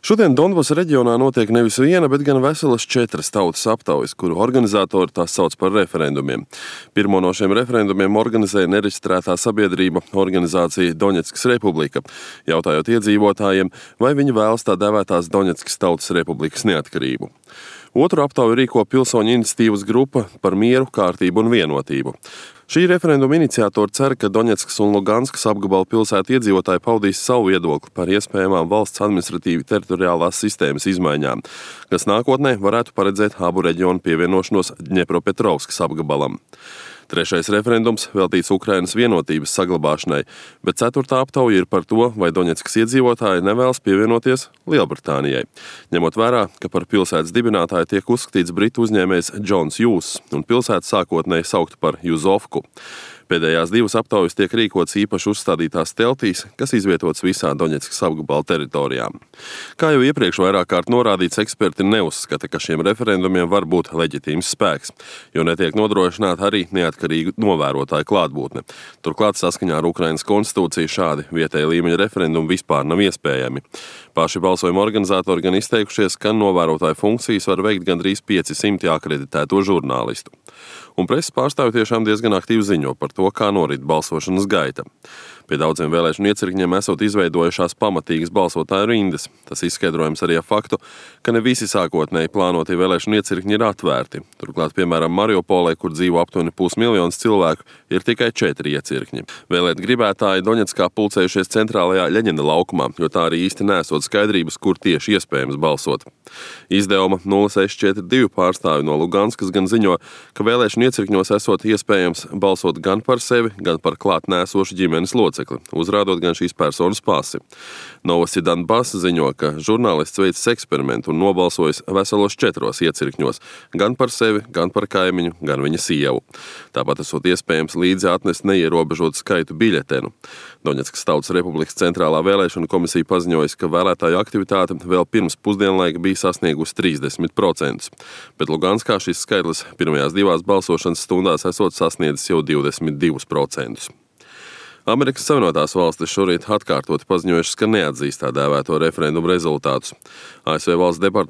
Šodien Donbasa reģionā notiek nevis viena, bet gan veselas 4 tautas aptaujas, kuru organizatori tās sauc par referendumiem. Pirmo no šiem referendumiem organizēja nereģistrētā sabiedrība organizācija Doņetskas Republika, jautājot iedzīvotājiem, vai viņi vēlas tā dēvētās Doņetskas Tautas Republikas neatkarību. Otru aptauju rīko pilsoņu iniciatīvas grupa par mieru, kārtību un vienotību. Šī referenduma iniciatori cer, ka Doņetskas un Luganskas apgabala pilsētu iedzīvotāji paudīs savu viedokli par iespējamām valsts administratīvi teritoriālās sistēmas izmaiņām, kas nākotnē varētu paredzēt abu reģionu pievienošanos Dņepropetrovskas apgabalam. Trešais referendums veltīts Ukrainas vienotības saglabāšanai, bet 4. aptauja ir par to, vai Doņetskas iedzīvotāji nevēlas pievienoties Lielbritānijai. Ņemot vērā, ka par pilsētas dibinātāju tiek uzskatīts britu uzņēmējs Džons Hjūss un pilsēta sākotnēji saukta par Juzovku. Pēdējās 2 aptaujas tiek rīkotas īpaši uzstādītās teltīs, kas izvietotas visā Doņetskas apgabala teritorijā. Kā jau iepriekš vairāk kārt norādīts, eksperti neuzskata, ka šiem referendumiem var būt leģitīms spēks, jo netiek nodrošināta arī neatkarīgu novērotāju klātbūtne. Turklāt saskaņā ar Ukrainas konstitūciju šādi vietēja līmeņa referendumi vispār nav iespējami. Paši balsojuma organizatori gan izteikušies, ka novērotāju funkcijas var veikt gandrīz 500 akreditēto žurnālistu. Un preses pārstāvji tiešām diezgan aktīvi ziņo par to, kā norit balsošanas gaita. Pie daudziem vēlēšanu iecirkņiem esot izveidojušās pamatīgas balsotāju rindas. Tas izskaidrojams arī ar faktu, ka ne visi sākotnēji plānotie vēlēšanu iecirkņi ir atvērti. Turklāt, piemēram, Mariupolē, kur dzīvo aptuveni 500 000 cilvēku, ir tikai 4 iecirkņi. Vēlēt gribētāji Doņetskā pulcējušies centrālajā Ļeņina laukumā, jo tā arī īsti nesot skaidrības, kur tieši iespējams balsot. Izdevuma 0642 pārstāvi no Luganskas gan ziņo, ka vēlēšanu iecirkņos esot iespējams balsot gan par sevi, gan par klāt nēsošu ģimenes locekli, uzrādot gan šīs personas pasi. Novosti Donbass ziņo, ka žurnālists veicis eksperimentu un nobalsojis veselos 4 iecirkņos, gan par sevi, gan par kaimiņu, gan viņa sievu. Tāpat esot iespējams līdzi atnest neierobežotu skaitu biļetenu. Doņetskas Tautas Republikas centrālā vēlēšana komisija paziņojas, ka vēlētāju aktivitāte vēl pirms pusdienlaika bija sasniegusi 30%, bet Luganskā šis skaitlis pirmajās 2 balsošanas stundās esot sasniedzis jau 22%. Amerikas Savienotās valstis šorīt atkārtoti paziņojušas, ka neatzīst tā dēvēto referendumu rezultātus. ASV valsts departaments